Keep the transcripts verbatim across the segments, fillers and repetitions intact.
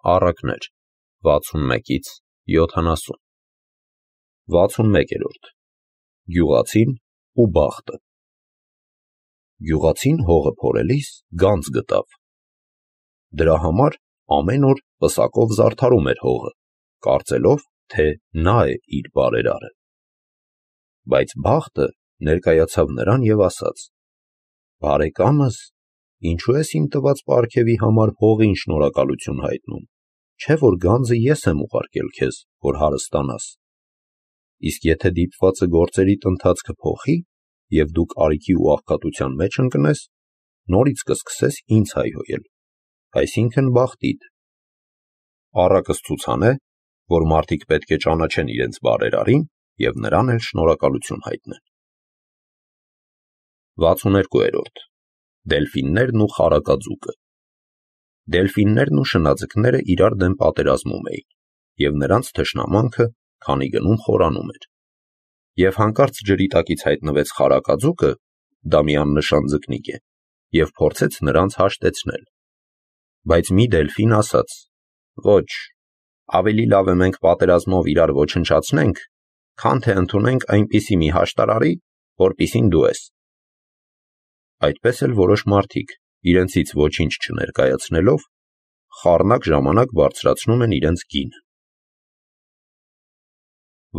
Առակներ վաթսունմեկից յոթանասուն վաթսունմեկերորդ Գյուղացին ու բախտը Գյուղացին հողը փորելիս գանձ գտավ։ Դրա համար ամեն օր պսակով զարդարում էր հողը, կարծելով, թե նա է իր բարերարը։ Բայց բախտը ներկայացավ նրան և ասաց. «Բարեկամս, ինչու ես իմ տված պարգևի համար հողին շնորհակալություն հայտնում, չէ՞ որ գանձը ես եմ ուղարկել քեզ, որ հարստանաս։ Իսկ եթե դիպվածը գործերիդ ընթացքը փոխի, և դու կարիքի ու աղքատության մեջ ընկնես, նորից կսկսես ինձ հայհոյել, այսինքն բախտիդ։ Առակս ցուցանե, որ մարդիկ պետք է ճանաչեն իրենց բարերարին և նրան էլ շնորհակալություն հայտնեն»։ վաթսուներկուերորդ Դելֆիններն ու խարակաձուկը Դելֆիններն ու շնաձկները իրար դեմ պատերազմում էին, և նրանց թշնամանքը քանի գնում խորանում էր։ Եվ հանկարծ ջրի տակից հայտնվեց խարակաձուկը, դա մի աննշան ձկնիկ է, և փորձեց նրանց հաշտեցնել։ Բայց մի դելֆին ասաց. «Ոչ, ավելի լավ է մենք պատերազմով իրար ոչնչացնենք, քան թե ընդունենք այնպիսի մի հաշտարարի, որպիսին դու ես»։ Այդպես էլ որոշ մարդիկ, իրենցից ոչինչ չներկայացնելով, խառնակ ժամանակ բարձրացնում են իրենց գինը։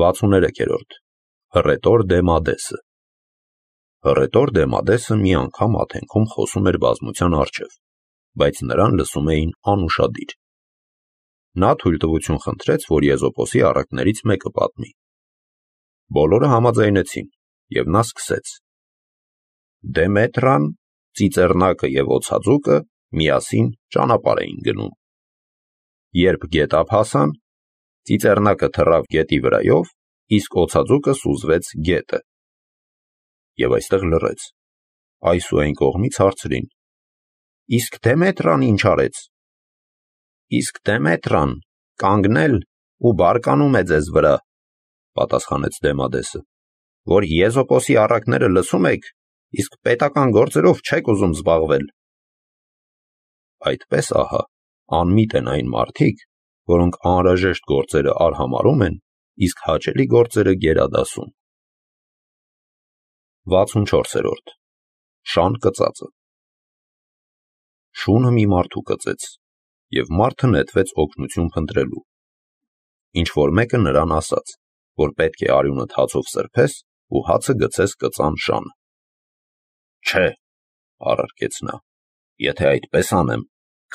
վաթսուներեքերորդ Հռետոր Դեմադեսը Հռետոր Դեմադեսը մի անգամ աթենքում խոսում էր բազմության առջև, բայց նրան լսում էին անուշադիր։ Նա թույլտվություն խնդրեց, որ Եզոպոսի առակներից մեկը պատմի։ Բոլորը համաձայնեցին, և նա սկսեց. Դեմետրան, Ծիծեռնակը և օձածուկը միասին ճանապարհ էին գնում։ Երբ գետափ հասան, Ծիծեռնակը թռավ գետի վրայով, իսկ օձածուկը սուզվեց գետը։ Եվ այստեղ լռեց։ Այս ու այն կողմից հարցրին. Իսկ Դեմետրան ինչ արեց։ Իսկ Դեմետրան կանգնել ու բարկանում է ձեզ վրա, պատասխանեց Դեմադեսը, որ Եզոպոսի առակները լսում եք, իսկ պետական գործերով չեք ուզում զբաղվել։ Այդպես ահա անմիտ են այն մարդիկ, որոնք անհրաժեշտ գործերը արհամարհում են, իսկ հաճելի գործերը գերադասում։ վաթսունչորսերորդ Շան կծածը Շունը մի մարդու կծեց, և մարդը նետվեց օգնություն փնտրելու։ Ինչ-որ մեկը նրան ասաց, որ պետք է արյունդ հացով սրբես ու հացը գցես կծան շանը։ Չէ, առարկեց նա, եթե այդպես անեմ,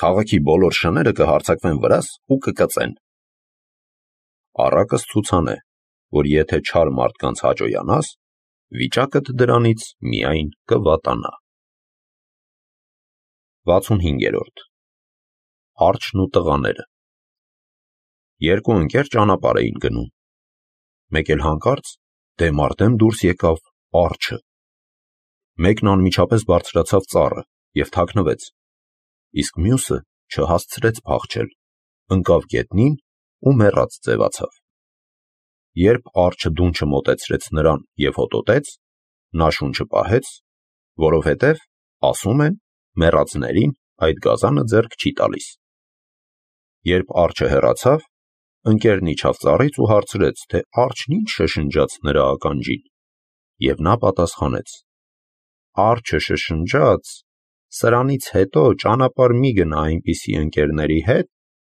քաղաքի բոլոր շները կհարձակվեն վրաս ու կկծեն։ Առակս ցուցանե, որ եթե չար մարդկանց հաճոյանաս, վիճակդ դրանից միայն կվատանա։ վաթսունհինգերորդ Արջն ու տղաները Երկու ընկեր ճանապարհ էին գնում։ Մեկ էլ հանկարծ դեմ առ դեմ դուրս եկավ արջը։ Մեկն անմիջապես բարձրացավ ծառը և թաքնվեց, իսկ մյուսը չհասցրեց փախչել, ընկավ գետնին ու մեռած ձևացավ։ Երբ արջը դունչը մոտեցրեց նրան և հոտոտեց, նա շունչը պահեց, որովհետև, ասում են, մեռածներին այդ գազանը ձեռք չի տալիս։ Երբ արջը հեռացավ, ընկերն իջավ ծառից ու հարցրեց, թե արջն ինչ շշնջաց նրա ականջին, և նա պատասխանեց. Արջը շշնջաց. սրանից հետո ճանապարհ մի գնա այնպիսի ընկերների հետ,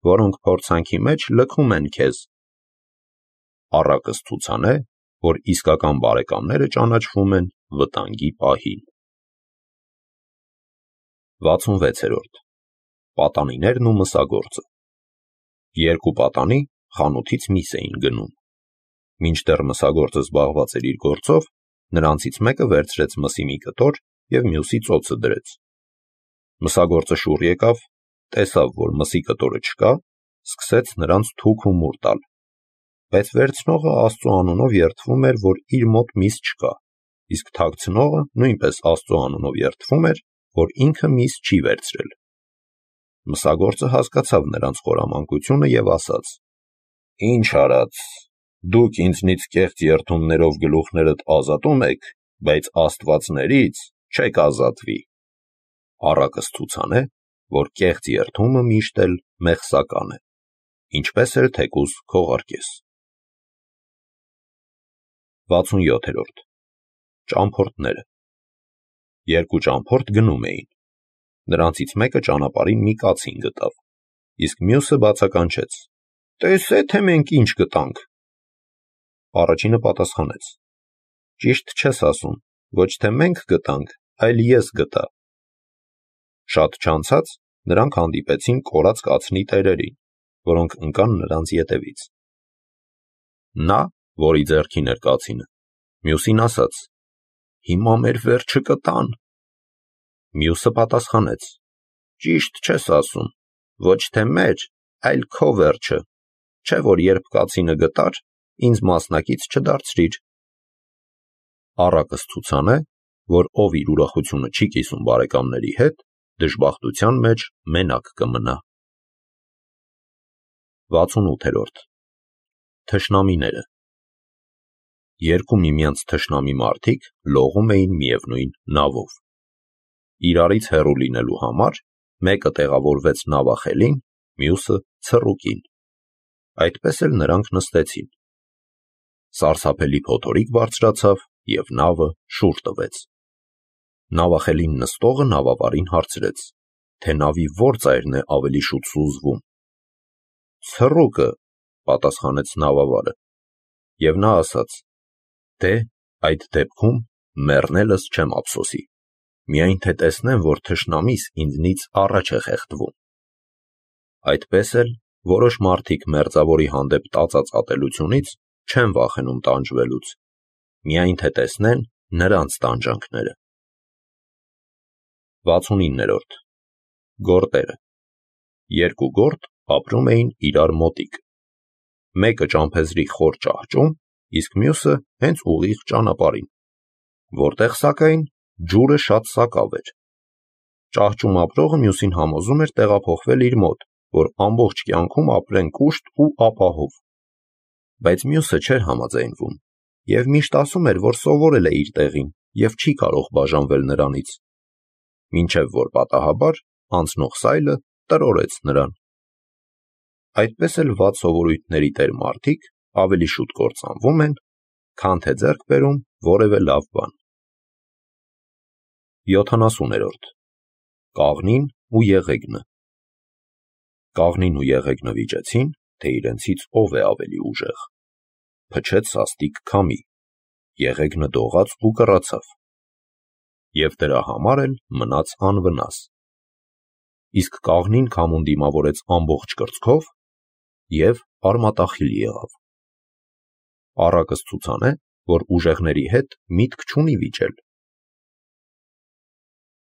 որոնք փորձանքի մեջ լքում են քեզ։ Առակս ցուցանե, որ իսկական բարեկամները ճանաչվում են վտանգի պահին։ վաթսունվեցերորդ Պատանիներն ու մսագործը Երկու պատանի խանութից միս էին գնում։ Մինչդեռ մսագործը զբաղված էր իր գործով, նրանցից մեկը վերցրեց մսի մի կտոր և մյուսի ծոցը դրեց։ Մսագործը շուռ եկավ, տեսավ, որ մսի կտորը չկա, սկսեց նրանց թուք ու մուռ տալ։ Բայց վերցնողը Աստծու անունով երդվում էր, որ իր մոտ միս չկա, իսկ թաքցնողը նույնպես Աստծու անունով երդվում էր, որ ինքը միս չի վերցրել։ Մսագործը հասկացավ նրանց խորամանկությունը և ասաց. Ինչ արած, դուք ինձնից կեղծ երդումներով գլուխներդ ազատում եք, բայց աստվածներից չեք ազատվի։ Առակս ցուցանե, որ կեղծ երդումը միշտ էլ մեղսական է, ինչպես էլ թեկուզ քողարկես։ վաթսունյոթերորդ Ճամփորդները։ Երկու ճամփորդ գնում էին։ Նրանցից մեկը ճանապարհին մի կացին գտավ, իսկ մյուսը բացականչեց. «Տեսե, թե մենք ինչ գտանք»։ Առաջինը պատասխանեց. «Ճիշտ չես ասում, ոչ թե մենք գտանք, այլ ես գտա»։ Շատ չանցած նրանք հանդիպեցին կորած կացնի տերերին, որոնք ընկան նրանց ետևից։ Նա, որի ձեռքին էր կացինը, մյուսին ասաց. «Հիմա մեր վերջը կտան»։ Մյուսը պատասխանեց. «Ճիշտ չես ասում, ոչ թե մեր, այլ քո վերջը, չէ՞ որ երբ կացինը գտար, ինձ մասնակից չդարձրիր»։ Առակս ցուցան է, որ ով իր ուրախությունը չի կիսում բարեկամների հետ, դժբախտության մեջ մենակ կմնա։ վաթսունութերորդ Թշնամիները։ Երկու միմյանց թշնամի մարդիկ լողում էին միևնույն նավով։ Իրարից հեռու լինելու համար մեկը տեղավորվեց նավախելին, մյուսը ցռուկին։ Այդպես էլ նրանք նստեցին։ Սարսափելի փոթորիկ բարձրացավ և նավը շուռ տվեց։ Նավախելին նստողը նավավարին հարցրեց, թե նավի որ ծայրն է ավելի շուտ սուզվում։ «Ցռուկը», պատասխանեց նավավարը, և նա ասաց. «Դե, այդ դեպքում մեռնելս չեմ ափսոսի, միայն թե տեսնեմ, որ թշնամիս ինձնից առաջ է խեղդվում»։ Այդպես էլ որոշ մարդիկ մերձավորի հանդեպ տածած ատելությունից չեն վախենում տանջվելուց, միայն թե տեսնեն նրանց տանջանքները։ վաթսունիններորդ Գորտերը։ Երկու գորտ ապրում էին իրար մոտիկ։ Մեկը ճամփեզի խոր ճահճում, իսկ մյուսը հենց ուղիղ ճանապարհին, որտեղ սակայն ջուրը շատ սակավ էր։ Ճահճում ապրողը մյուսին համոզում էր տեղափոխվել իր մոտ, որ ամբողջ կյանքում ապրեն կուշտ ու ապահով։ Բայց մյուսը չէր համաձայնվում և միշտ ասում էր, որ սովորել է իր տեղին և չի կարող բաժանվել նրանից, մինչև որ պատահաբար անցնող սայլը տրորեց նրան։ Այդպես էլ վատ սովորույթների տեր մարդիկ ավելի շուտ կործանվում են, քան թե ձեռք բերում որևէ լավ բան։ յոթանասուներորդ Կաղնին ու եղեգնը։ Կաղնին ու եղեգնը վիճեցին, թե իրենցից ով է ավելի ուժեղ։ Փչեց սաստիկ քամի, եղեգնը դողաց ու կռացավ, և դրա համար էլ մնաց անվնաս։ Իսկ կաղնին քամուն դիմավորեց ամբողջ կրծքով և արմատախիլ եղավ։ Առակս ցուցան է, որ ուժեղների հետ միտք չունի վիճել,